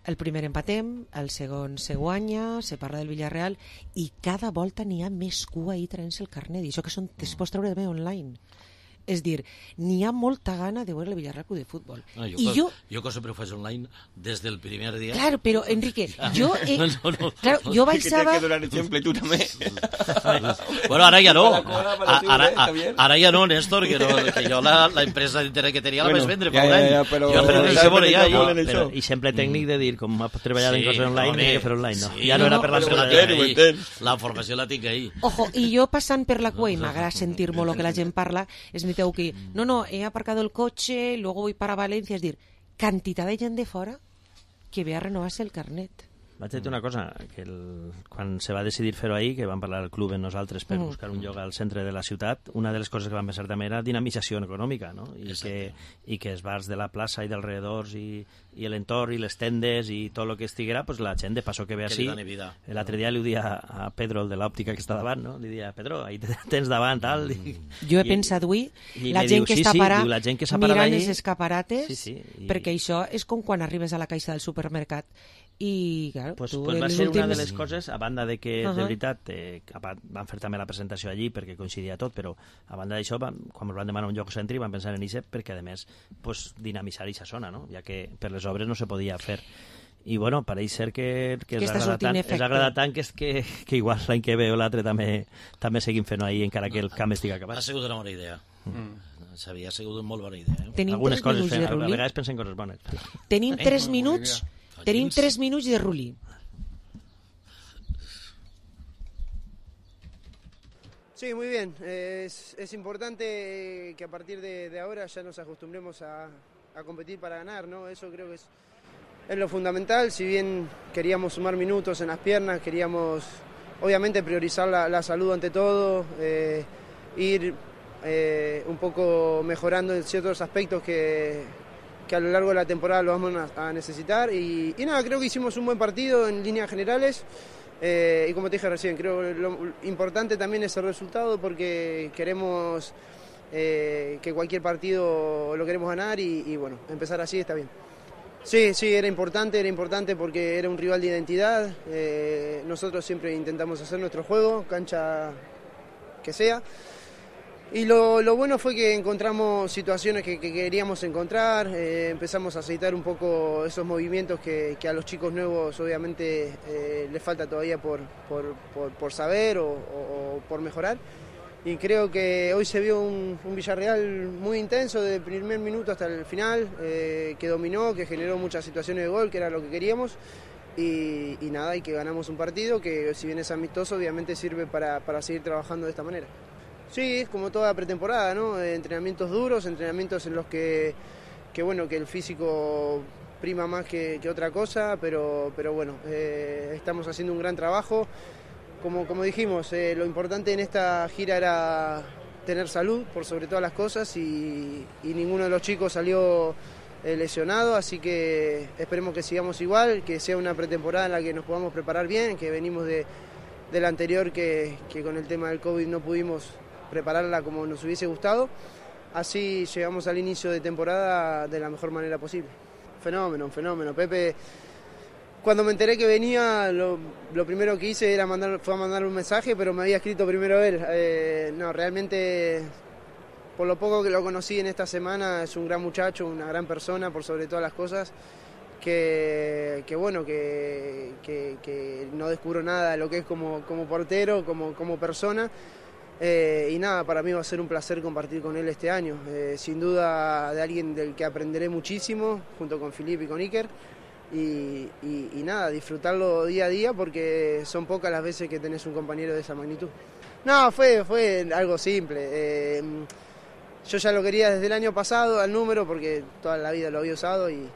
El primer empatem, el segon se guanya, se parla del Villarreal i cada volta n'hi ha més cua ahí traient-se el carnet, i això que es pot treure també online. És dir, n'hi ha molta gana de veure el Villarreal Club de Futbol. No, jo que sempre ho faig online des del primer dia. Claro, però, Enrique, jo... Claro, jo baixava... Que donar exemple, tu també. Bueno, ara ja no. Ara ja no, Néstor, que jo la empresa d'internet que tenia la vaig vendre fa un any. Jo no veure ja. I sempre tècnic de dir, com ha treballat en coses online, que fer online, no? Ja no era per la formació la tinc ahí. Ojo, i jo passant per la cua, i m'agrada sentir molt el que la gent parla, és tengo que no, he aparcado el coche, luego voy para Valencia, es decir, cantidad de gent de fora que ve a renovar-se el carnet. Vaig dir una cosa, que quan se va decidir fer-ho ahir, que vam parlar al club en nosaltres per buscar un lloc al centre de la ciutat, una de les coses que vam pensar també era dinamització econòmica, no? I que els bars de la plaça i dels alrededors i l'entorn i les tendes i tot el que estiguera, pues la gent de passo que ve així. L'altre dia li ho dia a Pedro, el de l'òptica que està davant, no? Li dia, Pedro, ahí tens davant, tal. Jo he pensat avui, la gent que està parada mirant els escaparates, perquè això és com quan arribes a la caixa del supermercat i claro, pues va ser una de les coses, a banda de que de veritat van fer també la presentació allí perquè coincidia tot, però a banda d'això quan ens van demanar un lloc cèntric van pensar en això perquè a més pues, dinamitzar aquesta zona, no? Ja que per les obres no se podia fer i bueno, pareix ser que els agrada tant que igual l'any que ve o l'altre també seguim fent-ho ahir encara que el camp estigui acabat. Ha sigut una bona idea. S'havia sigut una molt bona idea. Algunes coses, a vegades pensem coses bones. Tenim 3 minuts. Tenim 3 minuts de Rulli. Sí, muy bien. Es importante que a partir de ahora ya nos acostumbremos a competir para ganar, ¿no? Eso creo que es lo fundamental. Si bien queríamos sumar minutos en las piernas, queríamos obviamente priorizar la salud ante todo, ir un poco mejorando en ciertos aspectos que a lo largo de la temporada lo vamos a necesitar y nada, creo que hicimos un buen partido en líneas generales y como te dije recién, creo que lo importante también es el resultado porque queremos que cualquier partido lo queremos ganar y bueno, empezar así está bien. Sí, era importante porque era un rival de identidad, nosotros siempre intentamos hacer nuestro juego, cancha que sea. Y lo bueno fue que encontramos situaciones que queríamos encontrar, empezamos a aceitar un poco esos movimientos que a los chicos nuevos obviamente les falta todavía por saber o por mejorar. Y creo que hoy se vio un Villarreal muy intenso desde el primer minuto hasta el final, que dominó, que generó muchas situaciones de gol, que era lo que queríamos. Y nada, y que ganamos un partido que si bien es amistoso obviamente sirve para seguir trabajando de esta manera. Sí, es como toda pretemporada, ¿no? Entrenamientos duros, entrenamientos en los que bueno, que el físico prima más que otra cosa, pero bueno, estamos haciendo un gran trabajo. Como dijimos, lo importante en esta gira era tener salud por sobre todas las cosas y ninguno de los chicos salió lesionado, así que esperemos que sigamos igual, que sea una pretemporada en la que nos podamos preparar bien, que venimos de la anterior que con el tema del COVID no pudimos prepararla como nos hubiese gustado, así llegamos al inicio de temporada de la mejor manera posible. Fenómeno. Pepe, cuando me enteré que venía, lo primero que hice fue mandar un mensaje, pero me había escrito primero él. No, realmente, por lo poco que lo conocí en esta semana, es un gran muchacho, una gran persona, por sobre todas las cosas, que bueno, que no descubro nada de lo que es como portero, como persona. Y nada, para mí va a ser un placer compartir con él este año, sin duda de alguien del que aprenderé muchísimo junto con Filipe y con Iker y nada, disfrutarlo día a día porque son pocas las veces que tenés un compañero de esa magnitud. No, fue algo simple, yo ya lo quería desde el año pasado al número porque toda la vida lo había usado y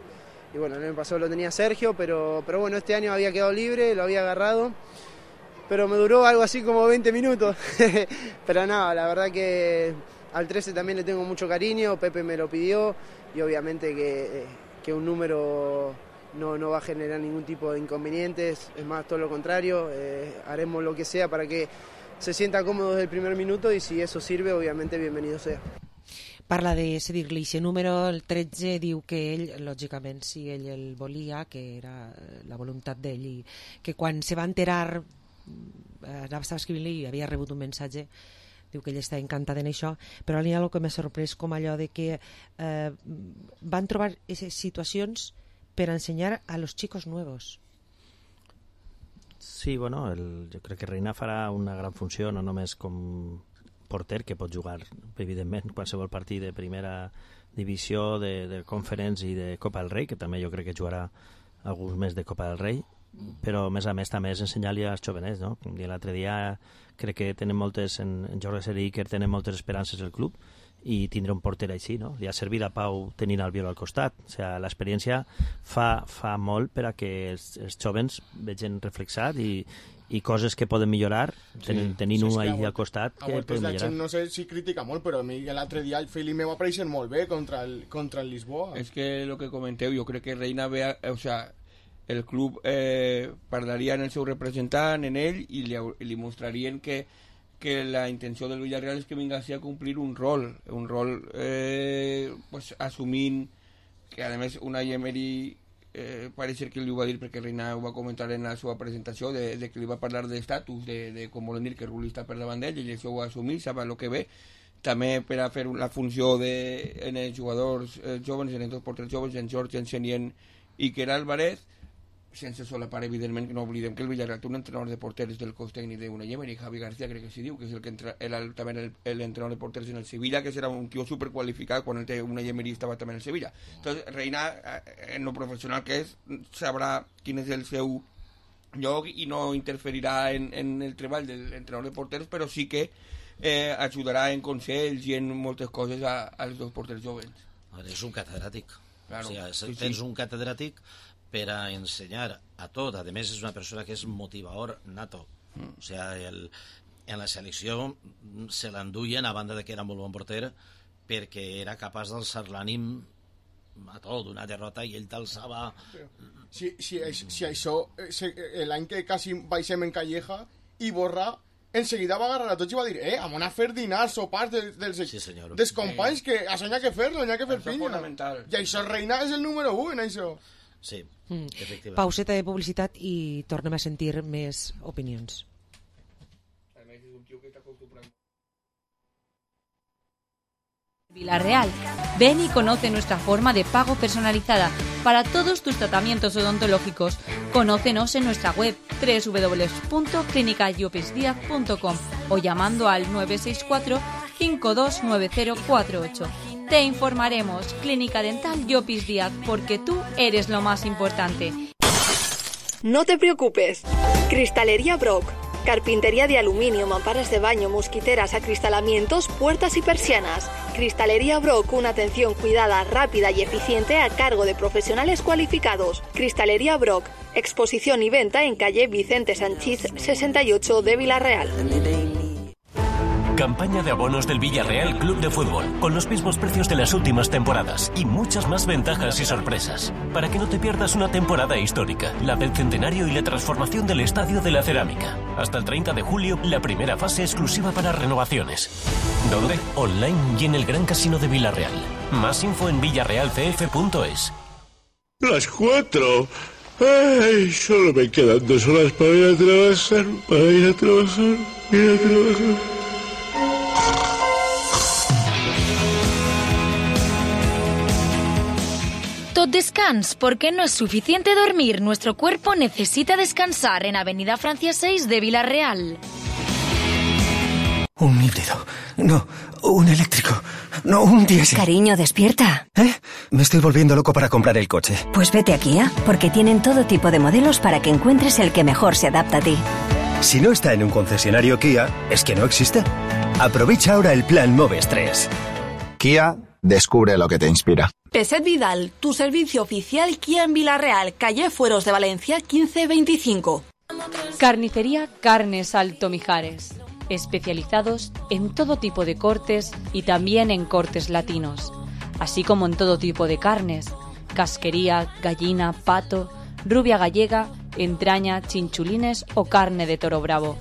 bueno, el año pasado lo tenía Sergio, pero bueno, este año había quedado libre, lo había agarrado. Pero me duró algo así como 20 minutos. Pero nada, la verdad que al 13 también le tengo mucho cariño, Pepe me lo pidió y obviamente que un número no va a generar ningún tipo de inconvenientes, es más, todo lo contrario, haremos lo que sea para que se sienta cómodo desde el primer minuto y si eso sirve, obviamente bienvenido sea. parla de dir-li aquest número, el 13, diu que ell, lògicament, si ell el volia, que era la voluntat d'ell, i que quan se va enterar, estava escrivint-li i havia rebut un mensatge, diu que ell està encantat en això, però n'hi ha el que m'ha sorprès com allò de que van trobar aquestes situacions per ensenyar a los chicos nuevos. Sí, bueno, jo crec que Reina farà una gran funció, no només com porter, que pot jugar, evidentment, qualsevol partit de primera divisió, de Conference i de Copa del Rei, que també jo crec que jugarà alguns més de Copa del Rei, però a més també és ensenyar-li als jovenets, no? Com l'altre dia crec que tenen moltes, en Jorge Seriker tenen moltes esperances el club, i tindre un porter així, no? Li ha servit a Pau tenint Albiol al costat. O sigui, l'experiència fa molt per a que els jovens vegin reflexat i coses que poden millorar, tenint-ho ahí al costat, que poden millorar. No sé si critica molt, però a mi l'altre dia el Feli me va aparèixer molt bé contra el Lisboa. És que el que comenteu, jo crec que Reina ve, o sea, el club parlaria en el seu representant, en ell, i li mostrarien que la intenció del Villarreal és que vingui a complir un rol pues, assumint que a més Unai Emery pareix que li ho va dir, perquè Reina ho va comentar en la seva presentació, de que li va parlar d'estatus, de com volen dir que Rulli està per davant d'ell, i això ho va assumir, sap el que ve, també per a fer la funció en els jugadors joves, en els dos porters joves, en George, en Senien i Quer Álvarez, sense solapar, evidentment, que no oblidem que el Villarreal té un entrenador de porters del cos tècnic d'Unai Emery, Javi García, crec que s'hi diu, que és el que també l'entrenador de porters en el Sevilla, que serà un tio superqualificat quan Unai Emery estava també en el Sevilla. Entonces, Reina, en lo professional que és, sabrà quin és el seu lloc i no interferirà en el treball de l'entrenador de porters, però sí que ajudarà en consells i en moltes coses als dos porters joves. És un catedràtic. Claro, o sigui, tens un catedràtic per a ensenyar a tot. A més, és una persona que és motivador nato. O sigui, en la selecció se l'enduien, a banda de que era molt bon porter, perquè era capaç d'alçar l'ànim a tot, una derrota, i ell t'alçava... Si això, l'any que quasi baixem en Calleja, i Borrà enseguida va agarrar a tots i va dir vam anar a fer dinars, sopars dels companys, que això n'hi ha que fer-lo, n'hi ha que fer pinya. I això, Reina és el número 1 en això. Sí, efectivament. Pauseta de publicitat i tornem a sentir més opinions. Villarreal. Ven y conoce nuestra forma de pago personalizada para todos tus tratamientos odontológicos. Conócenos en nuestra web www.clinicayopesdiaz.com o llamando al 964-529048. Te informaremos. Clínica Dental Llopis Díaz, porque tú eres lo más importante. No te preocupes. Cristalería Brock. Carpintería de aluminio, mamparas de baño, mosquiteras, acristalamientos, puertas y persianas. Cristalería Brock, una atención cuidada, rápida y eficiente a cargo de profesionales cualificados. Cristalería Brock, exposición y venta en calle Vicente Sanchiz 68 de Villarreal. Campaña de abonos del Villarreal Club de Fútbol, con los mismos precios de las últimas temporadas y muchas más ventajas y sorpresas, para que no te pierdas una temporada histórica, la del centenario y la transformación del Estadio de la Cerámica. Hasta el 30 de julio, la primera fase exclusiva para renovaciones. ¿Dónde? Online y en el Gran Casino de Villarreal. Más info en villarrealcf.es. Las 4. Ay, solo me quedan 2 horas para ir a trabajar, Tot descans, porque no es suficiente dormir. Nuestro cuerpo necesita descansar en Avenida Francia 6 de Villarreal. Un híbrido. No, un eléctrico. No, un diésel. Cariño, despierta. Me estoy volviendo loco para comprar el coche. Pues vete a Kia, porque tienen todo tipo de modelos para que encuentres el que mejor se adapta a ti. Si no está en un concesionario Kia, es que no existe. Aprovecha ahora el plan Moves 3. Kia, descubre lo que te inspira. Peset Vidal, tu servicio oficial Kia en Villarreal, calle Fueros de Valencia 1525. Carnicería Carnes Alto Mijares. Especializados en todo tipo de cortes y también en cortes latinos, así como en todo tipo de carnes: casquería, gallina, pato, rubia gallega, entraña, chinchulines o carne de toro bravo.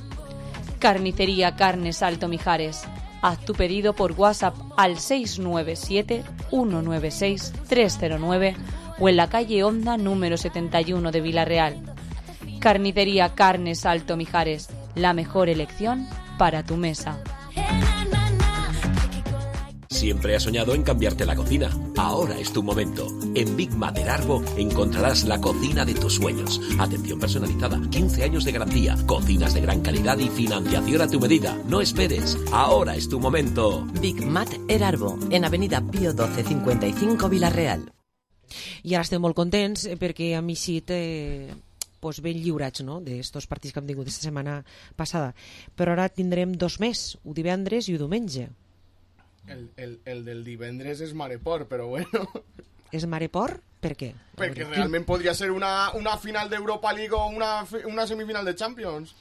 Carnicería Carnes Alto Mijares. Haz tu pedido por WhatsApp al 697-196-309 o en la calle Honda número 71 de Villarreal. Carnicería Carnes Alto Mijares, la mejor elección para tu mesa. Siempre has soñado en cambiarte la cocina. Ahora es tu momento. En Big Mater Arbo encontrarás la cocina de tus sueños. Atención personalizada, 15 años de garantía, cocinas de gran calidad y financiación a tu medida. No esperes. Ahora es tu momento. Big Mater Arbo, en Avenida Pío 12, 55, Villarreal. I ara estem molt contents perquè hem eixit pues ben lliurats, no?, d'estos partits que hem tingut aquesta setmana passada. Però ara tindrem 2 més, un divendres i un diumenge. El del divendres és Mareport, però bueno. És Mareport? Per què? Perquè realment podria ser una final d'Europa League o una semifinal de Champions.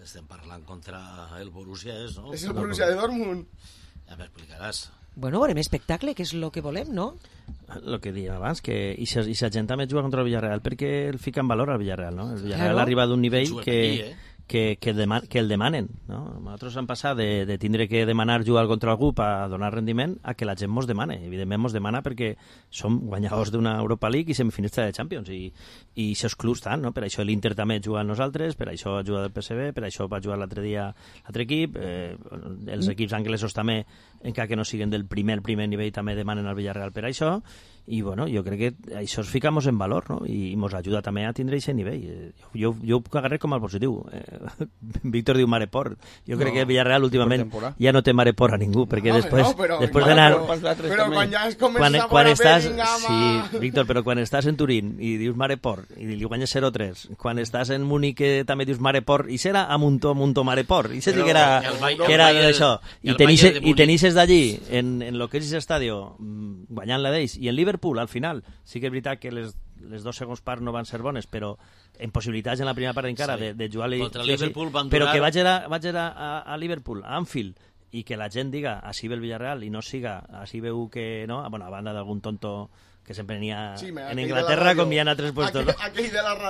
Estem parlant contra el Borussia, no? És el Borussia de Dortmund. Ja m'explicaràs. Bueno, veurem espectacle, que és el que volem, no? El que dèiem abans, que i sa gent també juga contra el Villarreal perquè el fica en valor al Villarreal, no? El Villarreal arriba d'un nivell que el demanen, no? Nosaltres hem passat de tindre que demanar jugar contra algú per donar rendiment a que la gent mos demane. Evidentment mos demana perquè som guanyadors d'una Europa League i semifinalista de Champions i aquests clubs tant, no? Per això l'Inter també juga amb nosaltres, per això juga del PSV, per això va jugar l'altre dia l'altre equip, els equips anglesos també, encara que no siguen del primer nivell, també demanen al Villarreal per això. I bueno, jo crec que això es ficamos en valor, no? I mos ajuda també a tindre aquest nivell. Jo ho puc agarrar com a positiu. Víctor diu Mareport. Jo crec que Villarreal últimament ja no té Mareport a ningú, perquè després d'anar... Però quan ja es comença a veure Bellingham... Sí, Víctor, però quan estàs en Turín i dius Mareport i li guanyes 0-3, quan estàs en Múnich també dius Mareport, i serà a Muntó Mareport, i se que era d'això. I tenisses d'allí, en lo que és aquest estadi, guanyant-la d'ells, i en Liverpool al final, sí que és veritat que les 2 segons parts no van ser bones, però en possibilitats en la primera part encara de jugar contra Liverpool van durar... però que vaig a Liverpool, a Anfield, i que la gent diga així ve el Villarreal i no siga, així veu que no, bueno, a banda d'algun tonto que sempre n'hi ha en Inglaterra com hi ha en altres puestos, no?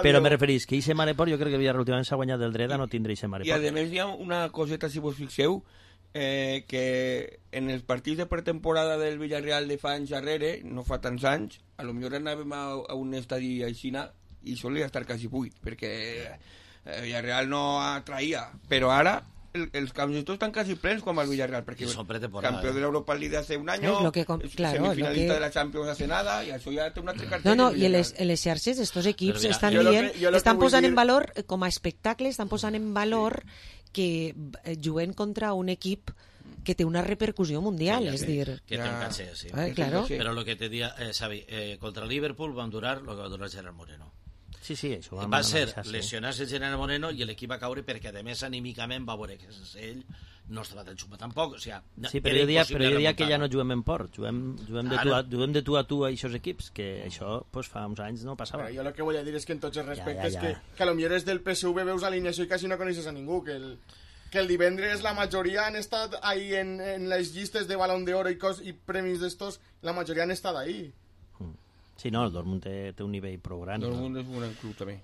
Però me referís que aquest Mareport, jo crec que el Villarreal últimament s'ha guanyat del dret a no tindre aquest Mareport. I a més hi ha una coseta, si vos fixeu, que en els partits de pretemporada del Villarreal de fa anys darrere, no fa tants anys, a lo millor anàvem a un estadi aixina i solia estar quasi buit, perquè el Villarreal no atraïa, però ara els camps estan quasi plens com el Villarreal, perquè campió de l'Europa League hace un año, semifinalista de la Champions hace nada, i això ja té una altra cartera. No, i les xarxes d'estos equips estan dient, estan posant en valor, com a espectacle, estan posant en valor que juguen contra un equip que té una repercussió mundial, és dir... Que té un caché, sí. Claro. Però el que te dia, Xavi, contra Liverpool van durar el que va durar Gerard Moreno. Sí, això va ser lesionar-se Gerard Moreno i l'equip va caure perquè, a més, anímicament va veure que ell no estava tan xupat tampoc. O sea, sí, però jo diria que ja no juguem en port, juguem de tu a tu a aquests equips, que això pues, fa uns anys no passava. Jo el que vull dir és que en tots els respectes que a lo millor és del PSV veus alineació i quasi no coneixes a ningú, que el divendres la majoria han estat ahí en les llistes de Balón d'Oro i premis d'estos, la majoria han estat ahí. Sí, no, el Dortmund té un nivell prou gran. El Dortmund és un gran club també.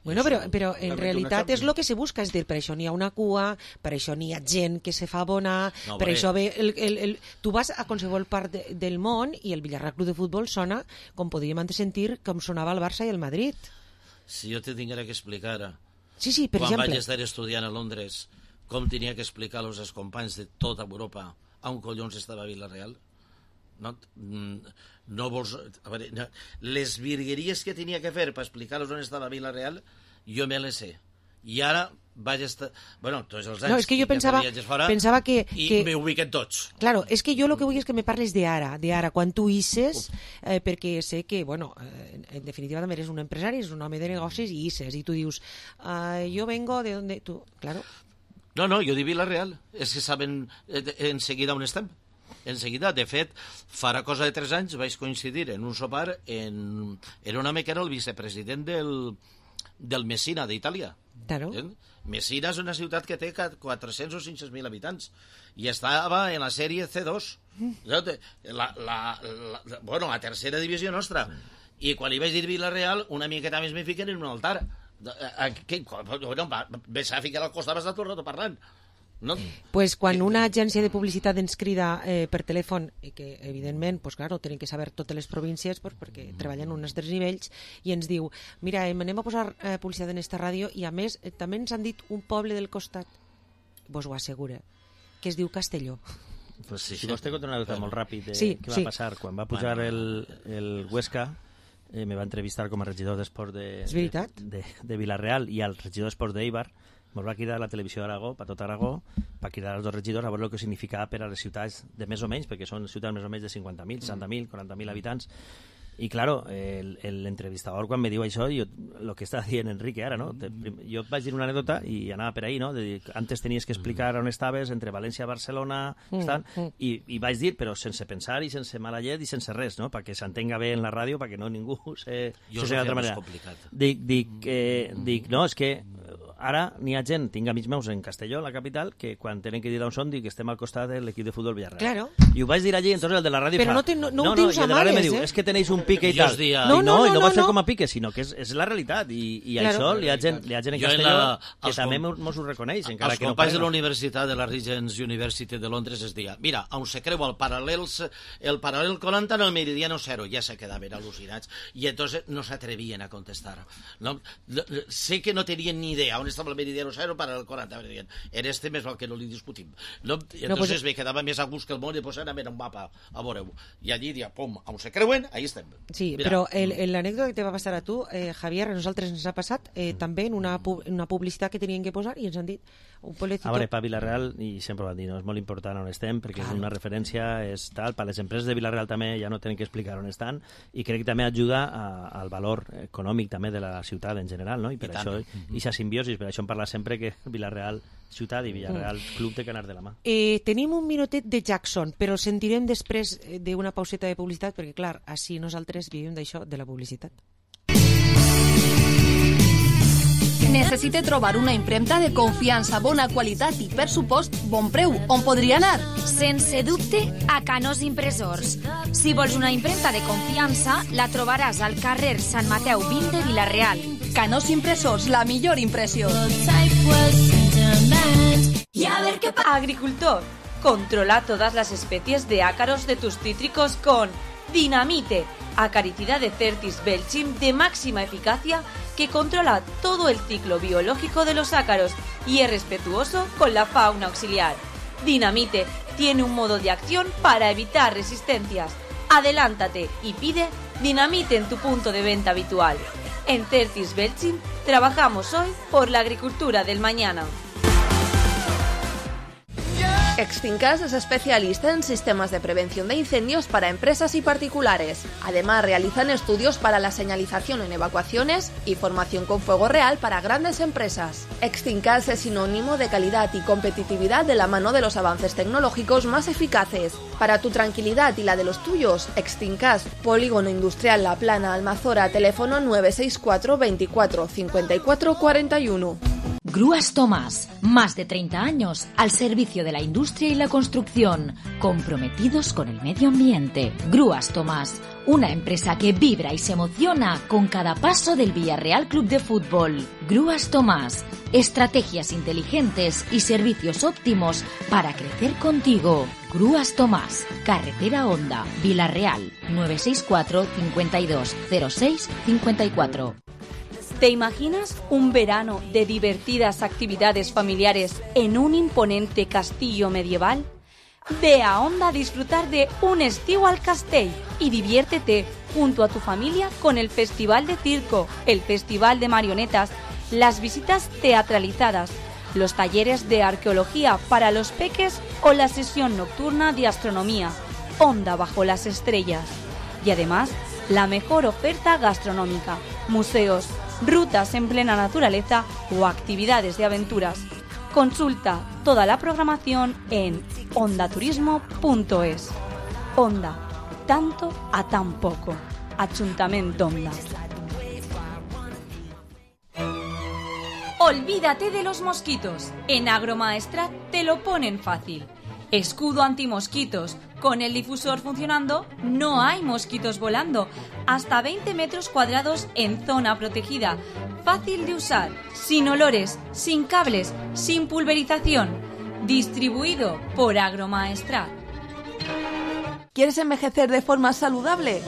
Bueno, però en realitat és el que se busca, és dir, per això n'hi ha una cua, per això n'hi ha gent que se fa abonar, per això ve tu vas a qualsevol part del món i el Villarreal Club de Futbol sona, com podíem antes sentir, com sonava el Barça i el Madrid. Si jo te tinguera que explicar sí, per quan exemple, vaig estar estudiant a Londres com tenia que explicar als companys de tota Europa a un collons estava Villarreal, no vols... A veure, les virgueries que tenia que fer per explicar-los on estava Villarreal, jo me les sé. I ara vaig estar... Bueno, tots els anys... No, és que jo pensava que... I me ubiquen tots. Claro, és que jo el que vull és que me parles d'ara, quan tu hisses, perquè sé que, bueno, en definitiva també eres un empresari, és un home de negocis i hisses, i tu dius, jo vengo de donde... Tu, claro. No, jo dic Villarreal, és que saben enseguida on estem. Enseguida, de fet, farà cosa de 3 anys vaig coincidir en un sopar en un home que era el vicepresident del Messina d'Itàlia. Claro. Messina és una ciutat que té 400 o 500.000 habitants i estava en la sèrie C2, la tercera divisió nostra, i quan li vaig dir Villarreal una miqueta més me fiquen en un altar. Ves a ficar al costat, vas estar tot el rato parlant. No? Pues quan una agència de publicitat ens crida per telèfon, i que evidentment, pues claro, tenen que saber totes les províncies perquè treballen uns altres nivells, i ens diu, mira, anem a posar publicitat en esta ràdio, i a més també ens han dit un poble del costat, vos ho assegura, que es diu Castelló. Pues sí, si vos te conto una cosa molt ràpid sí, què va passar. Quan va pujar el Huesca, me va entrevistar com a regidor d'Esports de Vilareal i al regidor d'Esports d'Eibar. Ens va cridar a la televisió d'Aragó, per tot Aragó, per cridar els dos regidors a veure el que significava per a les ciutats de més o menys, perquè són ciutats més o menys de 50.000, 60.000, 40.000 habitants. I, claro, l'entrevistador, quan me diu això, el que està dient Enrique ara, no? Jo vaig dir una anècdota i anava per ahí, no? De dir, antes tenies que explicar on estaves, entre València i Barcelona, i vaig dir, però sense pensar i sense mala llet i sense res, no? Perquè s'entenga bé en la ràdio, perquè no ningú se d'altra manera. Dic, no, és que ara n'hi ha gent, tinc amics meus en Castelló, la capital, que quan tenen que dir d'on són, dic que estem al costat de l'equip de futbol Villarreal. Claro. I ho vaig dir allí, entonces el de la ràdio però fa... Però no ho dius a males, me diu, és que tenéis un pique i tal. No, i no va ser com a pique, sinó que és la realitat. I això li ha gent en Castelló que també mos ho reconeix, encara que no companys de la Universitat de la Regents University de Londres es deia, mira, on se creu el paral·lel 40 en el meridiano 0, ja se quedaven al·lucinats, i entonces no s'atrevien a contestar. Sé que no tenien ni idea on estava el meridiano 0 para el 40, en este més val que no li discutim. Entonces me quedava més a gust que el món i pues anàvem a un mapa a veure-ho. I allí dia, pum, on se creuen, ahí estem. Sí, però l'anècdota que te va passar a tu, Javier, a nosaltres ens ha passat també en una publicitat que tenien que posar i ens han dit un pueblecito... A veure, per Vilareal, i sempre ho han dit, no? És molt important on estem, perquè és una referència, és tal, per les empreses de Vilareal també ja no tenen que explicar on estan, i crec que també ajuda al valor econòmic també de la ciutat en general, no? I per això, i sa simbiosi, per això em parla sempre que Vilareal ciutat i Villarreal club té que anar de la mà. Tenim un minutet de Jackson, però el sentirem després d'una pauseta de publicitat, perquè clar, així nosaltres vivim d'això, de la publicitat. Necessite trobar una impremta de confiança, bona qualitat i, per supost, bon preu. On podria anar? Sense dubte, a Canós Impressors. Si vols una impremta de confiança, la trobaràs al carrer Sant Mateu 20 de Vilareal. Canós Impressors, la millor impressió. Agricultor, controla todas las especies de ácaros de tus cítricos con Dinamite, acaricida de Certis Belchim de máxima eficacia que controla todo el ciclo biológico de los ácaros y es respetuoso con la fauna auxiliar. Dinamite tiene un modo de acción para evitar resistencias. Adelántate y pide Dinamite en tu punto de venta habitual. En Certis Belchim trabajamos hoy por la agricultura del mañana. Extincas es especialista en sistemas de prevención de incendios para empresas y particulares. Además, realizan estudios para la señalización en evacuaciones y formación con fuego real para grandes empresas. Extincas es sinónimo de calidad y competitividad de la mano de los avances tecnológicos más eficaces. Para tu tranquilidad y la de los tuyos, Extincas, Polígono Industrial La Plana, Almazora, teléfono 964 24 54 41. Grúas Tomás, más de 30 años al servicio de la industria y la construcción, comprometidos con el medio ambiente. Grúas Tomás, una empresa que vibra y se emociona con cada paso del Villarreal Club de Fútbol. Grúas Tomás, estrategias inteligentes y servicios óptimos para crecer contigo. Grúas Tomás, Carretera Honda, Vilarreal, 964 52 06 54. ¿Te imaginas un verano de divertidas actividades familiares en un imponente castillo medieval? Ve a Honda a disfrutar de un estiu al castell y diviértete junto a tu familia con el Festival de Circo, el Festival de Marionetas, las visitas teatralizadas, los talleres de arqueología para los peques o la sesión nocturna de astronomía. Honda bajo las estrellas. Y además, la mejor oferta gastronómica, museos, rutas en plena naturaleza o actividades de aventuras. Consulta toda la programación en hondaturismo.es. Honda, tanto a tan poco. Ayuntamiento Honda. Olvídate de los mosquitos. En Agromaestrat te lo ponen fácil. Escudo antimosquitos. Con el difusor funcionando, no hay mosquitos volando. Hasta 20 metros cuadrados en zona protegida. Fácil de usar, sin olores, sin cables, sin pulverización. Distribuido por Agromaestrat. ¿Quieres envejecer de forma saludable?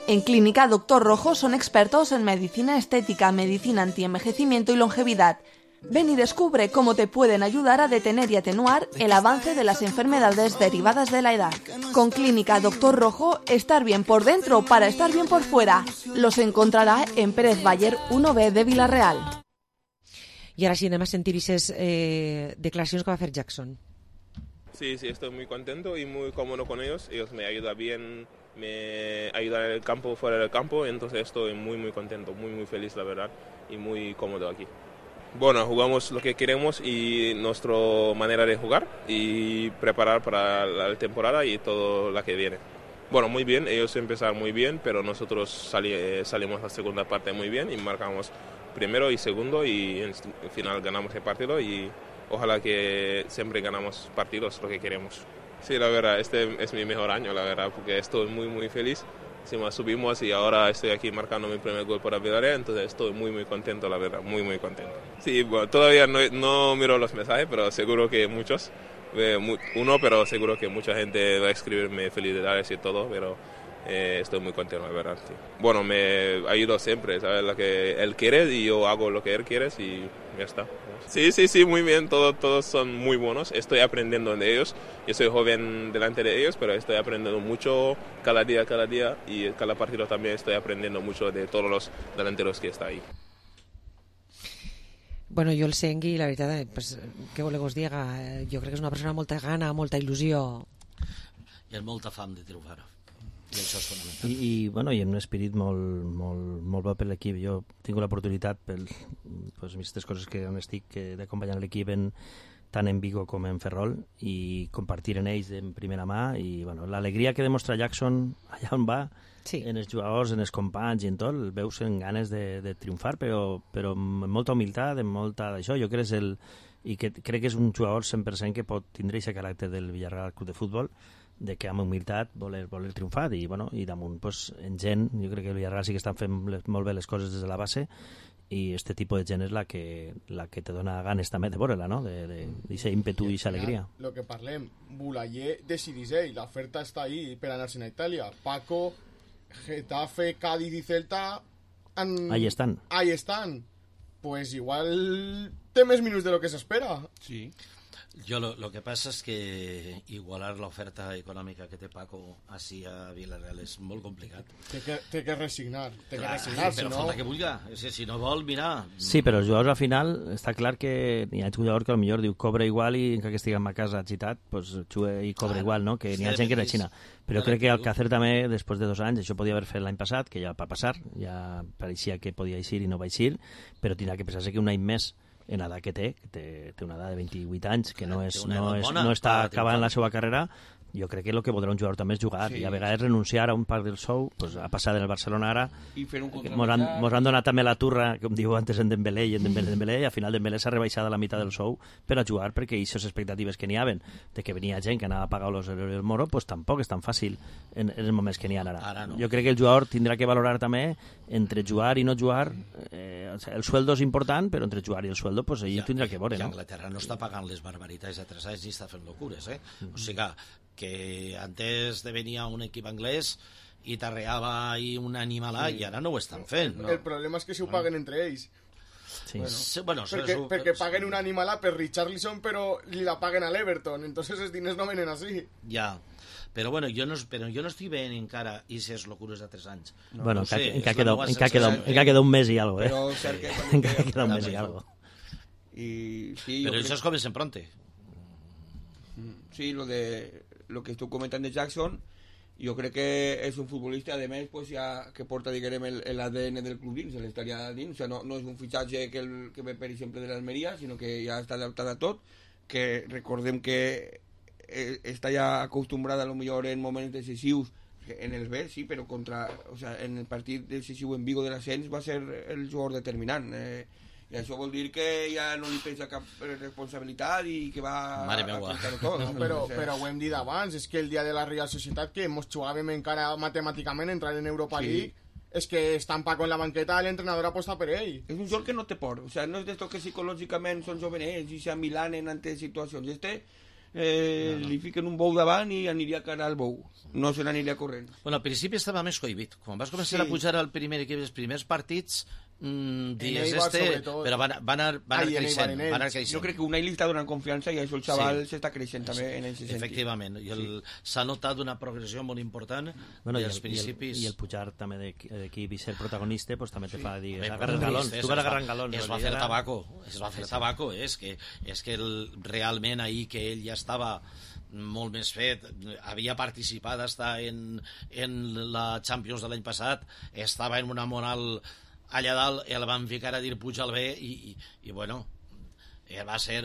En Clínica Doctor Rojo son expertos en medicina estética, medicina antienvejecimiento y longevidad. Ven y descubre cómo te pueden ayudar a detener y atenuar el avance de las enfermedades derivadas de la edad. Con Clínica Doctor Rojo, estar bien por dentro para estar bien por fuera. Los encontrará en Pérez Bayer 1B de Vila-real. Y ahora sí, además sentir esas declaraciones que va a hacer Jackson. Sí, estoy muy contento y muy cómodo con ellos. Ellos me ayudan bien, me ayudan en el campo, fuera del campo, entonces estoy muy contento, muy feliz, la verdad, y muy cómodo aquí. Bueno, jugamos lo que queremos y nuestra manera de jugar y preparar para la temporada y todo lo que viene. Bueno, muy bien, ellos empezaron muy bien, pero nosotros salimos la segunda parte muy bien y marcamos primero y segundo y al final ganamos el partido y ojalá que siempre ganamos partidos, lo que queremos. Sí, la verdad, este es mi mejor año, la verdad, porque estoy muy feliz. Encima subimos y ahora estoy aquí marcando mi primer gol para Villarreal, entonces estoy muy contento, la verdad, muy contento. Sí, bueno, todavía no miro los mensajes, pero seguro que muchos, pero seguro que mucha gente va a escribirme felicidades y todo, pero estoy muy contento, la verdad. Sí. Bueno, me ayudo siempre, ¿sabes? Lo que él quiere y yo hago lo que él quiere y ya está. Sí, muy bien, todos son muy buenos, estoy aprendiendo de ellos, yo soy joven delante de ellos, pero estoy aprendiendo mucho cada día y cada partido también estoy aprendiendo mucho de todos los delanteros que están ahí. Bueno, jo el Sengui, la veritat, pues, què voleu que us diga? Jo crec que és una persona amb molta gana, molta il·lusió. I amb molta fam de triomfar. I això és fonamental. I amb un espírit molt bo per l'equip. Jo tinc l'oportunitat, per aquestes coses que on estic, d'acompanyar l'equip tant en Vigo com en Ferrol i compartir en ells en primera mà i l'alegria que demostra Jackson allà on va, en els jugadors, en els companys i en tot, el veus en ganes de triomfar, però amb molta humilitat, amb molta d'això. Jo crec que és un jugador 100% que pot tindre aquest caràcter del Villarreal Club de Futbol, de que amb humilitat voler triomfar i damunt en gent, jo crec que el Villarreal sí que estan fent molt bé les coses des de la base i este tipus de gent és la que te dona ganes també de veure-la, no? D'aquest ímpetu i aquesta alegria. Lo que parlem, Boulaye decidís ell, l'oferta està ahí per anar-se'n a Itàlia. Paco, Getafe, Cádiz y Celta ahí están. Pues igual té més minuts de lo que s'espera. Sí. Yo lo que pasa es que igualar la oferta econòmica que té Paco així a Villarreal és molt complicat. Té que resignar. Però falta que vulga. Si no vol, mira... Sí, però els jugadors al final està clar que hi ha jugadors que potser diu cobra igual i encara que estiguem a casa agitat, pues juga i cobra igual, no? Que n'hi ha gent que era Xina. Però crec que Alcácer també, després de 2 anys, això podia haver fet l'any passat, que ja va passar, ja pareixia que podia eixir i no va eixir, però tindrà que pensar-se que un any més en edat que té una edat de 28 anys, que no està acabant la seva carrera. Jo crec que el que voldrà un jugador també és jugar i a vegades renunciar a un part del sou, a passar del Barcelona ara. Mos han donat també la turra, com diu antes en Dembélé i al final Dembélé s'ha rebaixat a la meitat del sou per a jugar, perquè aquestes expectatives que n'hi haven de que venia gent que anava a pagar los del Moro, pues tampoc és tan fàcil en els moments que n'hi ha ara. Jo crec que el jugador tindrà que valorar també entre jugar i no jugar. El sueldo és important, però entre jugar i el sueldo pues ell tindrà que veure, no? Anglaterra no està pagant les barbaritats de 3 anys ni està fent locures, o sigui que antes de venir a un equip anglès i t'arreava ahí un animalà i ara no ho estan fent. El problema és que s'ho paguen entre ells. Perquè paguen un animalà per Richarlison però li la paguen a l'Everton, entonces els diners no venen així. Ja, però bueno, jo no estic veient encara aquestes locures de 3 anys. Bueno, encara queda un mes i algo, encara queda un mes i algo. Però això es comencen pronto. Sí, lo que estoy comentando de Jackson, yo creo que es un futbolista, además, pues ya que porta, digamos, el ADN del club dins, l'estaria dins, o sea, no és un fitxatge que ve, per exemple, de l'Almeria, sinó que ja està adaptat a tot, que recordem que està ja acostumbrada a lo millor en moments decisius, en el B, sí, però en el partit decisiu en Vigo de l'ascens va ser el jugador determinant, i això vol dir que ja no li pensa cap responsabilitat i que va a portar-ho tot. Però ho hem dit abans, és que el dia de la Real Societat, que ens jugàvem encara matemàticament entrar en Europa League, és que estan Paco en la banqueta, l'entrenador aposta per ell. És un joc que no té por, o sea, no és d'esto que psicològicament són jovenets i s'amilanen ante situacions. Li fiquen un bou davant i aniria cara al bou, no se n'aniria corrent. Bueno, al principi estava més cohibit. Quan vas començar a pujar al primer equip, els primers partits, però van anar creixent. Jo crec que Unai li està donant confiança i això el xaval s'està creixent també en aquest sentit. Efectivament, s'ha notat una progressió molt important dels principis. I el pujar també d'equip i ser protagonista pues, també te fa dir, agarrar galons, tu vas agarrant galons. Es va fer tabaco, és que realment ahir que ell ja estava molt més fet, havia participat en la Champions de l'any passat, estava en una moral allà dalt, el van ficar a dir puja al B i bueno, va ser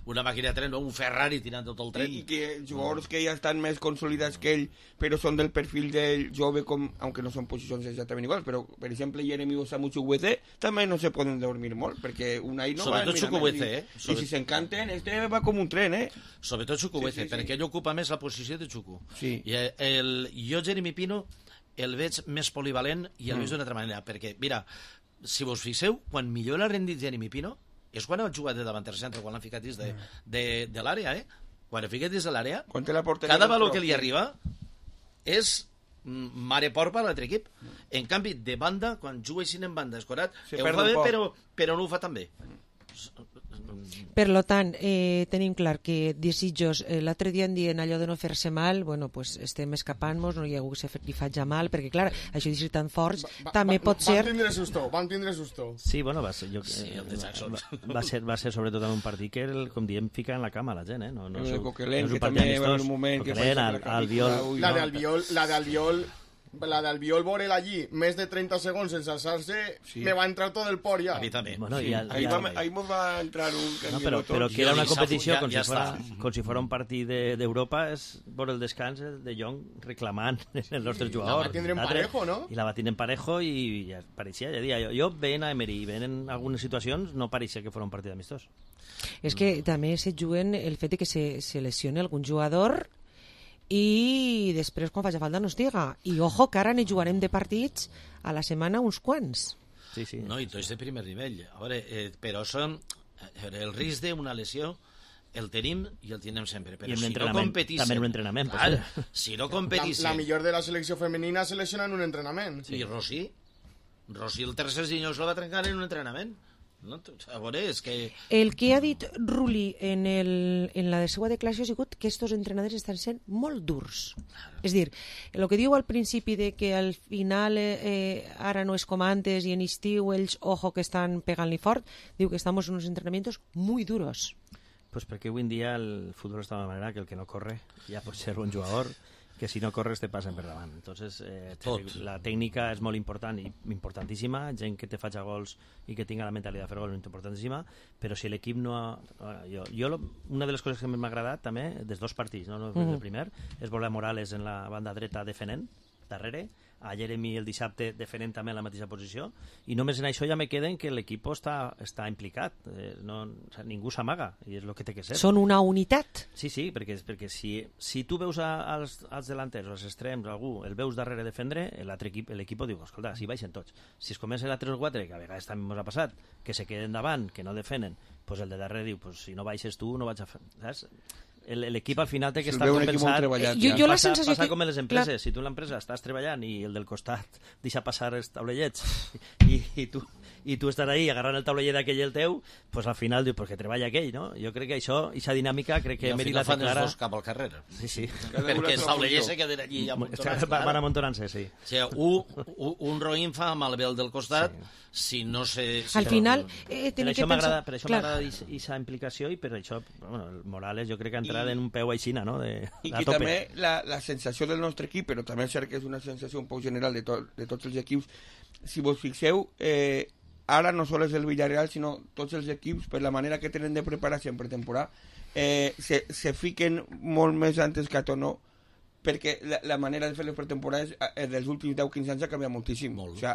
una màquina de tren, un Ferrari tirant tot el tren. I que jugadors que ja estan més consolidats que ell, però són del perfil del jove, aunque no són posicions exactament iguals, però per exemple Jeremy Osamu Chukwueze també no se poden dormir molt, perquè Unai no sobretot va Chukwueze, i si s'encanten, va com un tren, Sobretot Chukwueze, perquè ell ocupa més la posició de Chuku. Jo Jeremy Pino el veig més polivalent i el veig d'una altra manera, perquè, mira, si vos fixeu, quan millor l'ha rendit Jeremy Pino és quan ha jugat de davanter centre, quan l'han ficat dins de l'àrea, quan l'ha ficat dins de l'àrea, cada valor que li arriba és mare porpa a l'altre equip. En canvi, de banda, quan juga així en banda escorat, ho fa bé, però no ho fa tan bé. Per lo tant, tenim clar que desitjos, l'altre dia en dient allò de no fer-se mal, bueno, pues estem escapant-nos, no hi ha algú que li faci mal, perquè clar, això de ser tan forts també pot ser... Van tindre susto. Sí, bueno, va ser sobretot en un partit que, com diem, fica en la cama la gent, No Coquelin, que també va haver un moment que... La d'Albiol, Borel allí, més de 30 segons sense alçar-se, me va entrar tot el por ja. A mi també. Bueno, ahí nos va entrar un pero que era una competició com si fora un partit d'Europa, és por el descans de Jong reclamant el nostre jugador. La va tindre en parejo, no? I la va tindre en parejo i ja pareixia, ja dia, jo veient a Emery, veient en algunes situacions, no pareixia que fora un partit amistós. És que també se juguen el fet que se lesione algun jugador i després quan faci falta no es diga. I ojo que ara ne jugarem de partits a la setmana uns quants. Sí. No, i tots de primer nivell. A veure, però el risc d'una lesió el tenim i el tindrem sempre. Però si no competíssim... També en un entrenament. Si no competíssim... La millor de la selecció femenina se lesiona en un entrenament. I Rossi el tercer senyor se la va trencar en un entrenament. No, a veure, és que... El que ha dit Rulli en la seva declaració ha sigut que estos entrenadors estan sent molt durs. És dir, el que diu al principi de que al final ara no és com antes i en estiu ells, ojo, que estan pegant-li fort, diu que estamos en unos entrenamientos muy duros. Pues perquè avui en dia el futbol està de manera que el que no corre ja pot ser un jugador que si no corres te passen per davant. Entonces, la tècnica és molt important i importantíssima, gent que te faci gols i que tinga la mentalitat de fer gols és importantíssima, però si l'equip no... Una de les coses que m'ha agradat també, dels dos partits, no del primer, és veure Morales en la banda dreta defenent, darrere, a Jeremy el dissabte defenent també en la mateixa posició, i només en això ja me queden que l'equip està implicat, ningú s'amaga, i és el que té que ser. Són una unitat. Sí, perquè si tu veus als delanters o als extrems, algú, el veus darrere defendre, l'equip diu, escolta, si baixen tots. Si es comença a 3-4, que a vegades també ens ha passat, que se queden davant, que no defenen, pues el de darrere diu, pues si no baixes tu, no vaig a fer... Saps? L'equip al final té que estar compensat. Passa com en les empreses. Si tu en l'empresa estàs treballant i el del costat deixa passar els taulellets i tu estàs ahí agarrant el taulellet d'aquell i el teu, pues al final dius, que treballa aquell, no? Jo crec que això, aquesta dinàmica, crec que Emery la té clara. I al final fan els dos cap al carrer. Sí. Perquè els taulellets se queden allí amuntonats. Van amuntonant-se, sí. O sigui, un roïn fa malbé el del costat, si no se... Al final... Per això m'agrada aquesta implicació i per això, el Morales jo crec que ha entrat en un peu aixina, no? I que també la sensació del nostre equip, però també és cert que és una sensació un poc general de tots els equips, si vos fixeu, ara no sols el Villarreal, sinó tots els equips, per la manera que tenen de preparació en pretemporada, se fiquen molt més antes que a Tono perquè la manera de fer les pretemporades dels últims 10-15 anys ha canviat moltíssim. O sigui,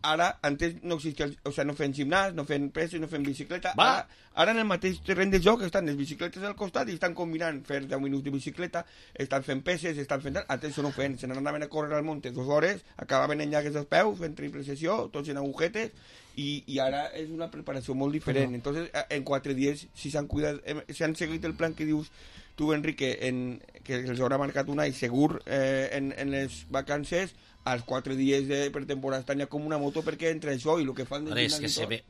ara, antes no existia, o sigui, no fent gimnàs, no fent peses, no fent bicicleta. Ara en el mateix terreny de joc estan les bicicletes al costat i estan combinant fer 10 minuts de bicicleta, estan fent peses, estan fent... Antes això no ho feien, se n'anaven a córrer al monte 2 hores, acabaven en llagues dels peus, fent triple sessió, tots en agujetes, i ara és una preparació molt diferent. Entonces, en 4 dies, si s'han cuidat, si han seguit el plan que dius tu, Enrique, que els haurà marcat un any segur en les vacances, als 4 dies de pretemporada estan ja com una moto, perquè entre això i el que fan... És que